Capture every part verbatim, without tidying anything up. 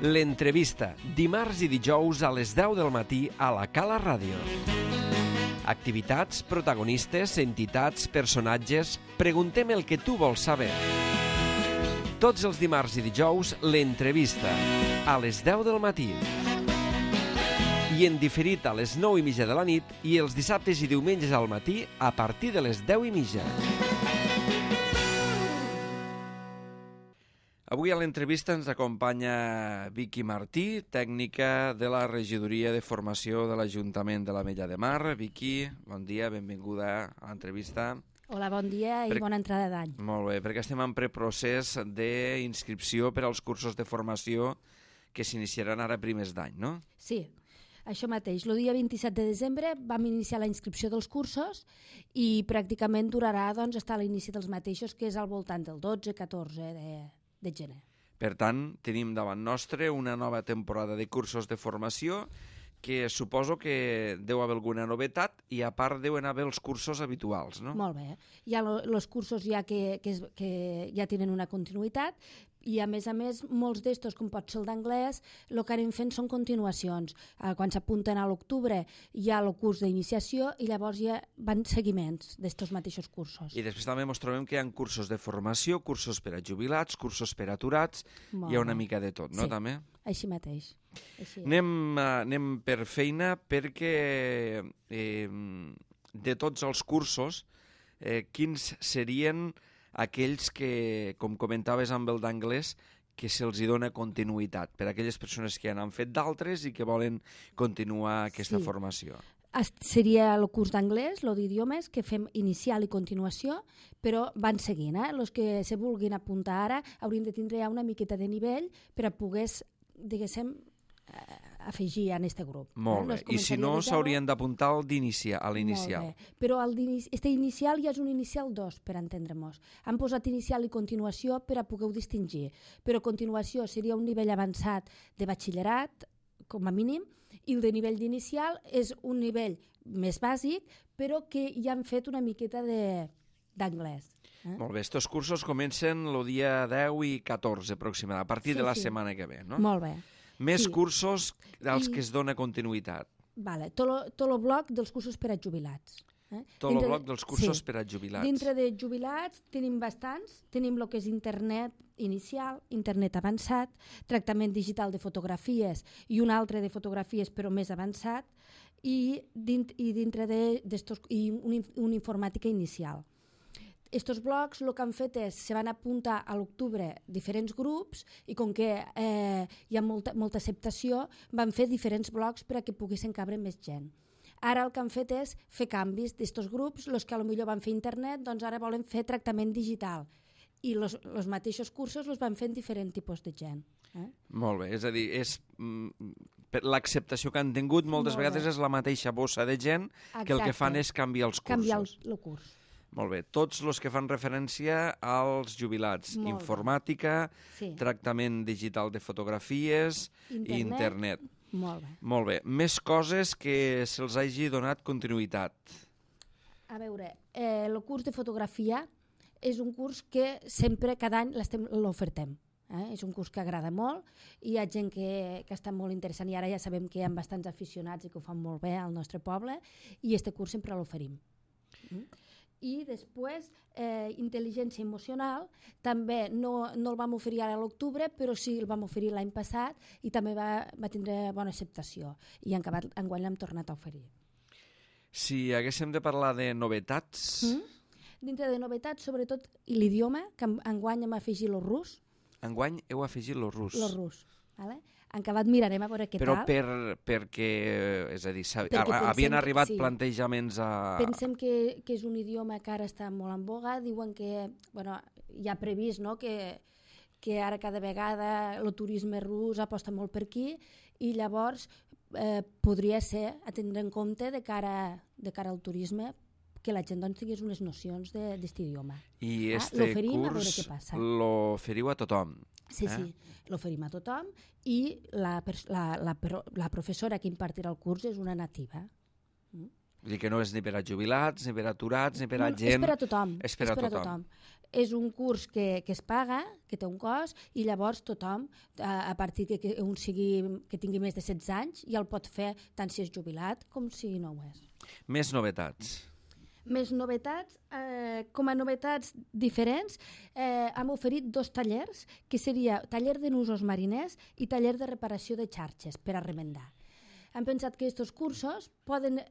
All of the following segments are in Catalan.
L'entrevista, dimarts i dijous a les deu del matí a la Cala Ràdio. Activitats, protagonistes, entitats, personatges... Preguntem el que tu vols saber. Tots els dimarts i dijous, l'entrevista, a les deu del matí. I en diferit a les nou i mitja de la nit i els dissabtes i diumenges al matí a partir de les deu i mitja. Avui a l'entrevista ens acompanya Vicky Martí, tècnica de la Regidoria de Formació de l'Ajuntament de l'Ametlla de Mar. Vicky, bon dia, benvinguda a l'entrevista. Hola, bon dia i per... bona entrada d'any. Molt bé, perquè estem en preprocés d'inscripció per als cursos de formació que s'iniciaran ara primers d'any, no? Sí, això mateix. El dia vint-i-set de desembre vam iniciar la inscripció dels cursos i pràcticament durarà doncs, fins a l'inici dels mateixos, que és al voltant del dotze catorze de... de gener. Per tant, tenim davant nostre una nova temporada de cursos de formació que suposo que deu haver alguna novetat i a part deuen haver els cursos habituals, no? Molt bé. Hi ha els cursos ja que, que, es, que ja tenen una continuïtat i a més a més molts d'estos, com pot ser el d'anglès, el que anem fent són continuacions. Eh, quan s'apunten a l'octubre hi ha el curs d'iniciació i llavors hi ha van seguiments d'estos mateixos cursos. I després també ens trobem que hi ha cursos de formació, cursos per a jubilats, cursos per a aturats, Molt hi ha una bé. mica de tot, no? Sí, També? Així mateix. Així anem, uh, anem per feina perquè eh, de tots els cursos, eh, quins serien aquells que, com comentaves amb el d'anglès, que se'ls dona continuïtat per a aquelles persones que ja n'han fet d'altres i que volen continuar aquesta Sí. formació. Seria el curs d'anglès, el d'idiomes, que fem inicial i continuació, però van seguint. Eh? Els que se vulguin apuntar ara haurien de tindre ja una miqueta de nivell per a poder, diguéssim, afegir en aquest grup. Molt bé. Eh? No I si no, s'haurien d'apuntar al d'iniciar, a l'inicial. Molt bé. Però aquest inicial ja és un inicial dos, per entendre-nos. Han posat inicial i continuació per a poder-ho distingir. Però continuació seria un nivell avançat de batxillerat, com a mínim, i el de nivell d'inicial és un nivell més bàsic, però que ja han fet una miqueta d'anglès. Eh? Molt bé, estos cursos comencen el dia deu i catorze aproximadament, a partir Sí, de la sí. setmana que ve, no? Molt bé. Més Sí. cursos als I- que es dona continuïtat. Vale. Tot el bloc dels cursos per a jubilats. Eh? Tot el Dintre bloc de- dels cursos sí. per a jubilats. Dintre de jubilats tenim bastants. Tenim el que és internet inicial, internet avançat, tractament digital de fotografies i un altre de fotografies però més avançat i, dint, i dintre de, d'estos, i un, un informàtica inicial. Estos blocs el que han fet és, se van apuntar a l'octubre diferents grups i com que eh, hi ha molta, molta acceptació, van fer diferents blocs per a que poguessin cabre més gent. Ara el que han fet és fer canvis d'estos grups, els que potser van fer internet, doncs ara volen fer tractament digital. I els mateixos cursos els van fer en diferents tipus de gent. Eh? Molt bé, és a dir, és, mm, per l'acceptació que han tingut moltes Molt vegades bé. és la mateixa bossa de gent que el que Exacte. fan és canviar els cursos. Canviar el, el curs. Molt bé, tots els que fan referència als jubilats, Molt bé. informàtica, Sí. tractament digital de fotografies i Internet. internet. Molt bé. Molt bé, més coses que se'ls hagi donat continuïtat. A veure, eh, el curs de fotografia és un curs que sempre, cada any, l'estem- l'ofertem. Eh? És un curs que agrada molt i hi ha gent que, que està molt interessant i ara ja sabem que hi ha bastants aficionats i que ho fan molt bé al nostre poble i este curs sempre l'oferim. Mm? I després, eh, intel·ligència emocional, també no, no el vam oferir ara a l'octubre, però sí el vam oferir l'any passat i també va, va tindre bona acceptació i en acabat, enguany l'hem tornat a oferir. Si haguéssim de parlar de novetats... Mm? Dintre de novetats, sobretot l'idioma, que en- enguany hem afegit el rus, Enguany heu afegit el rus. el rus. Vale? En acabat mirarem a veure què Però tal. per, perquè, és a dir, s'ha- Perquè pensem havien que- arribat sí. plantejaments a... Pensem que, que és un idioma que ara està molt en boga, diuen que, bueno, ja ha previst, no?, que, que ara cada vegada el turisme rus aposta molt per aquí i llavors eh, podria ser a tindre en compte de cara, de cara al turisme que la gent doncs, tingués unes nocions d'aquest idioma. I Ah, este l'oferim, a veure curs què passa. l'oferiu a tothom. Sí, eh? sí, l'oferim a tothom i la, pers- la, la, pro- la professora que impartirà el curs és una nativa. Mm? Vull dir que no és ni per a jubilats, ni per a aturats, ni per a no, gent... És per a tothom. És per a tothom. tothom. És un curs que, que es paga, que té un cost, i llavors tothom, a, a partir que, que un sigui, que tingui més de setze anys, ja el pot fer tant si és jubilat com si no ho és. Més novetats. Més novetats, eh, com a novetats diferents, eh, hem oferit dos tallers, que seria taller de nusos mariners i taller de reparació de xarxes per a remendar. Hem pensat que aquests cursos poden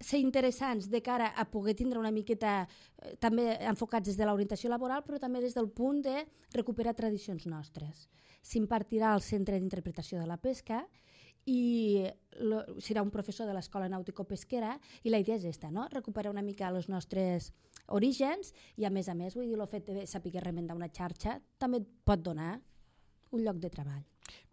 ser interessants de cara a poder tindre una miqueta eh, també enfocats des de l'orientació laboral, però també des del punt de recuperar tradicions nostres. S'impartirà al Centre d'Interpretació de la Pesca i lo, serà un professor de l'Escola Nàutico-Pesquera i la idea és esta, no? Recuperar una mica els nostres orígens i a més a més, vull dir, el fet de saber remendar una xarxa també pot donar un lloc de treball.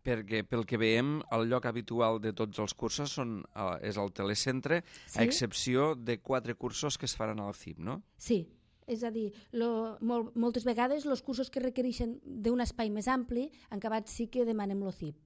Perquè pel que veiem, el lloc habitual de tots els cursos són, uh, és el telecentre, sí? A excepció de quatre cursos que es faran al C I P, no? Sí, és a dir, lo, molt, moltes vegades els cursos que requereixen d'un espai més ampli, en acabat sí que demanem el C I P.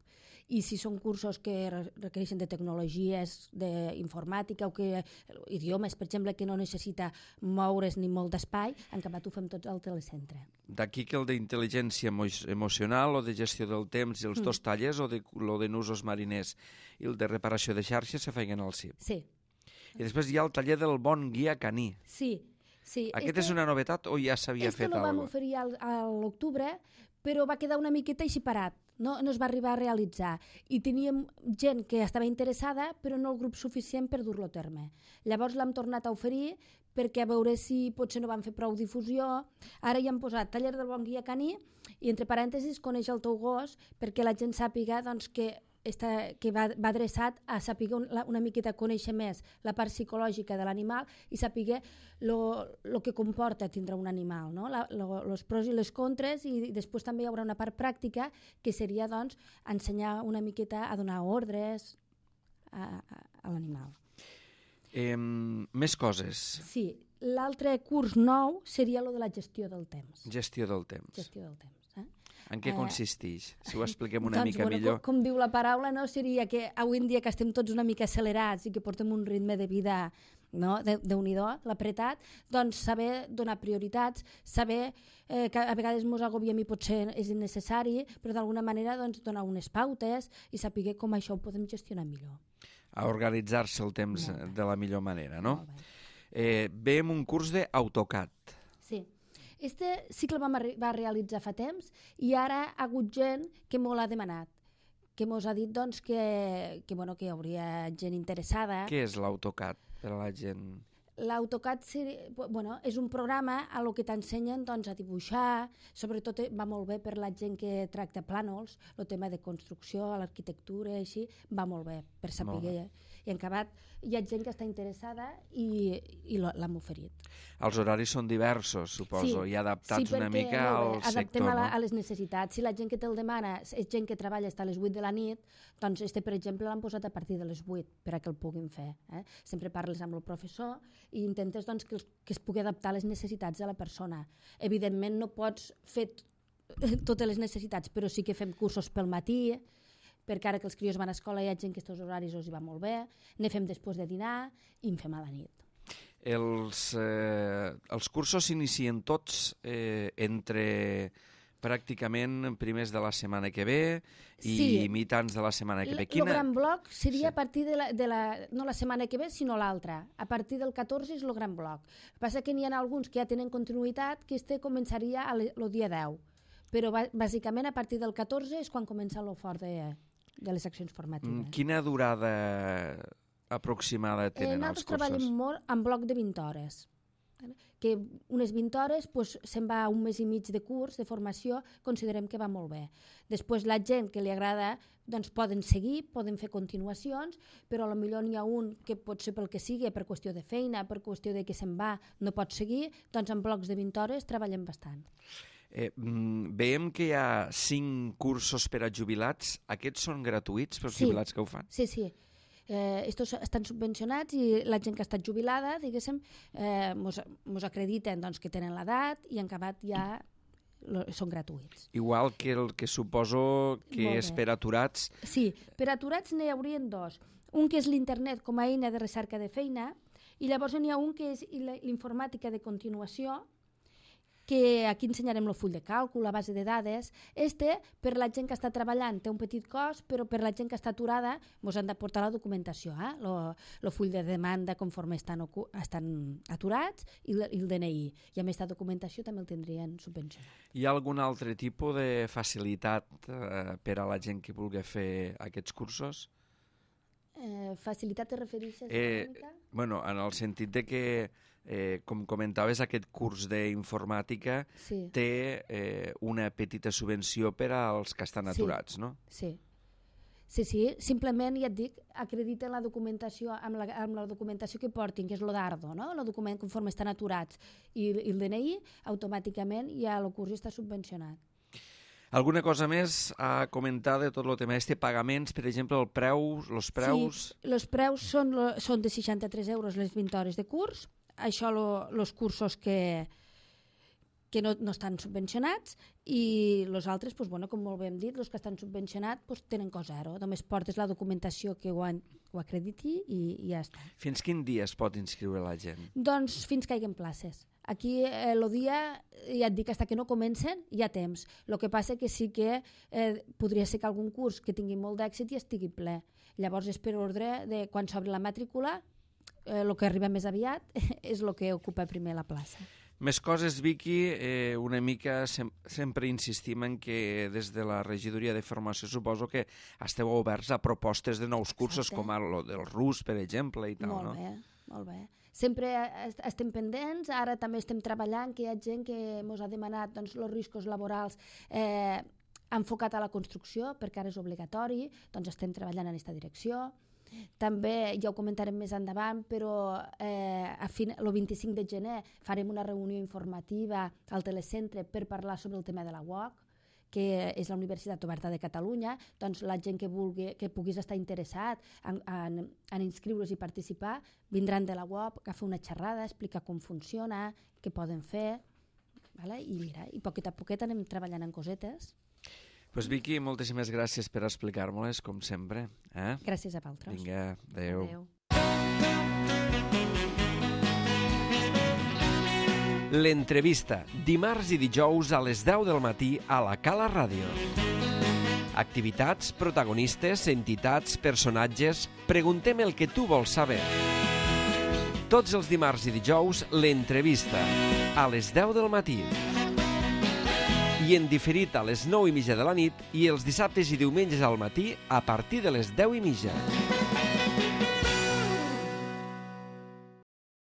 I si són cursos que requereixen de tecnologies, d'informàtica o que idiomes, per exemple, que no necessita moure's ni molt d'espai, en acabat ho fem tots al telecentre. D'aquí que el d'intel·ligència emo emocional o de gestió del temps i els mm. dos tallers, o de, lo de nusos mariners i el de reparació de xarxes, se feien al C I P. Sí. I després hi ha el taller del bon guia caní. Sí. sí. Aquest este, és una novetat o ja s'havia fet? Este lo vam oferir al, a l'octubre, però va quedar una miqueta així parat. No, no es va arribar a realitzar i teníem gent que estava interessada però no el grup suficient per dur-lo a terme. Llavors l'hem tornat a oferir perquè a veure si potser no van fer prou difusió. Ara hi hem posat taller del bon guia caní i entre parèntesis coneix el teu gos perquè la gent sàpiga doncs, que Està, que va, va adreçat a saber una, una miqueta conèixer més la part psicològica de l'animal i saber el que comporta tindre un animal, no? la, lo, els pros i les contres, i després també hi haurà una part pràctica que seria doncs, ensenyar una miqueta a donar ordres a, a, a l'animal. Eh, més coses. Sí, l'altre curs nou seria lo de la gestió del temps. Gestió del temps. Gestió del temps. Eh? En què consisteix? Si ho expliquem una doncs, mica bueno, millor. Com, com diu la paraula, no? Seria que avui en dia que estem tots una mica accelerats i que portem un ritme de vida, no? de, Déu-n'hi-do, l'apretat, doncs saber donar prioritats, saber eh, que a vegades ens agobiem i potser és innecessari, però d'alguna manera doncs, donar unes pautes i saber com això ho podem gestionar millor. A organitzar-se el temps de la millor manera, no? Eh, veiem un curs d'AutoCAD. Sí. Este sí que el vam va realitzar fa temps i ara ha hagut gent que m'ho l'ha demanat, que mos ha dit doncs, que, que, bueno, que hi hauria gent interessada. Què és l'AutoCAD per a la gent? L'AutoCAD bueno, és un programa a lo que t'ensenyen doncs, a dibuixar, sobretot va molt bé per la gent que tracta plànols, el tema de construcció, l'arquitectura, així, va molt bé per saber. I en acabat hi ha gent que està interessada i, i l'hem oferit. Els horaris són diversos, suposo, sí, i adaptats sí, una mica al sector, adaptem a, la, no? a les necessitats. Si la gent que te'l demana és gent que treballa fins a les vuit de la nit, doncs este, per exemple, l'han posat a partir de les vuit per a que el puguin fer. Eh? Sempre parles amb el professor i intentes doncs, que, que es pugui adaptar a les necessitats de la persona. Evidentment no pots fer totes les necessitats, però sí que fem cursos pel matí, perquè ara que els crios van a escola hi ha gent que aquests horaris els hi va molt bé, ne fem després de dinar i en fem a la nit. Els, eh, els cursos s'inicien tots eh, entre pràcticament primers de la setmana que ve i sí. mitjans de la setmana que ve. Quina... El gran bloc seria sí. a partir de la, de la... no la setmana que ve, sinó l'altra. A partir del catorze és el gran bloc. El que passa que n'hi ha alguns que ja tenen continuïtat, que este començaria el dia deu. Però bàsicament a partir del catorze és quan comença el fort de, de les accions formatives. Quina durada aproximada tenen eh, els cursos? Nosaltres treballem molt en bloc de vint hores. Que unes vint hores pues, se'n va un mes i mig de curs, de formació, considerem que va molt bé. Després la gent que li agrada doncs poden seguir, poden fer continuacions, però potser n'hi ha un que pot ser pel que sigui, per qüestió de feina, per qüestió de que se'n va, no pot seguir, doncs en blocs de vint hores treballem bastant. Eh, veiem que hi ha cinc cursos per a jubilats. Aquests són gratuïts per als sí. jubilats que ho fan? Sí, sí. Eh, estos estan subvencionats i la gent que ha estat jubilada, diguéssim, eh, mos, mos acrediten doncs, que tenen l'edat i en acabat ja lo, són gratuïts. Igual que el que suposo que és per aturats. Sí, per aturats n'hi haurien dos. Un que és l'internet com a eina de recerca de feina, I llavors n'hi ha un que és l'informàtica de continuació, que aquí ensenyarem el full de càlcul, la base de dades. Este, per la gent que està treballant, té un petit cost, però per la gent que està aturada, ens han de portar la documentació, eh? el full de demanda conforme estan, estan aturats i el, i el D N I. I a més, aquesta documentació també el tindrien subvencionat. Hi ha algun altre tipus de facilitat eh, per a la gent que vulgui fer aquests cursos? Eh, facilitat te refereixes eh, econòmica? Bueno, en el sentit de que Eh, com comentaves, aquest curs d'informàtica sí. té eh, una petita subvenció per als que estan aturats, sí. no? Sí. Sí, sí, simplement, ja et dic, acrediten la documentació amb la, amb la documentació que portin, que és lo d'Ardo, no? El document conforme estan aturats i, i el D N I, automàticament ja el curs està subvencionat. Alguna cosa més a comentar de tot el tema de pagaments, per exemple, el preu, els preus? Sí, els preus són, són de seixanta-tres euros les vint hores de curs. Això, els cursos que, que no, no estan subvencionats, i els altres, doncs, bueno, com molt bé hem dit, els que estan subvencionats doncs, tenen cost zero. Només portes la documentació que ho, han, ho acrediti i, i ja està. Fins quin dia es pot inscriure la gent? Doncs fins que hi haguen places. Aquí el eh, dia, ja et dic, fins que no comencen, hi ha temps. El que passa que sí que eh, podria ser que algun curs que tingui molt d'èxit i estigui ple. Llavors és per ordre de quan s'obre la matrícula, el eh, que arriba més aviat és el que ocupa primer la plaça. Més coses, Vicky, eh, una mica sem sempre insistim en que des de la regidoria de formació suposo que esteu oberts a propostes de nous cursos. Exacte. Com el del rus, per exemple, i tal, molt no? Molt bé, molt bé. Sempre estem pendents, ara també estem treballant, que hi ha gent que ens ha demanat doncs, els riscos laborals eh, enfocat a la construcció, perquè ara és obligatori, doncs estem treballant en aquesta direcció. També, ja ho comentarem més endavant, però eh, a fin, el vint-i-cinc de gener farem una reunió informativa al telecentre per parlar sobre el tema de la U O C, que és la Universitat Oberta de Catalunya. Doncs la gent que, vulgui, que puguis estar interessat en, en, en inscriure's i participar vindran de la U O C a fer una xerrada, explicar com funciona, què poden fer, vale? I mira, i poquet a poquet anem treballant en cosetes. Pues Vicky, moltíssimes gràcies per explicar-me-les, com sempre. Eh? Gràcies a vosaltres. Vinga, adeu. Adeu. L'entrevista, dimarts i dijous a les deu del matí a la Cala Ràdio. Activitats, protagonistes, entitats, personatges... Preguntem el que tu vols saber. Tots els dimarts i dijous, l'entrevista, a les deu del matí. I en diferit a les nou i mitja de la nit i els dissabtes i diumenges al matí a partir de les deu i mitja.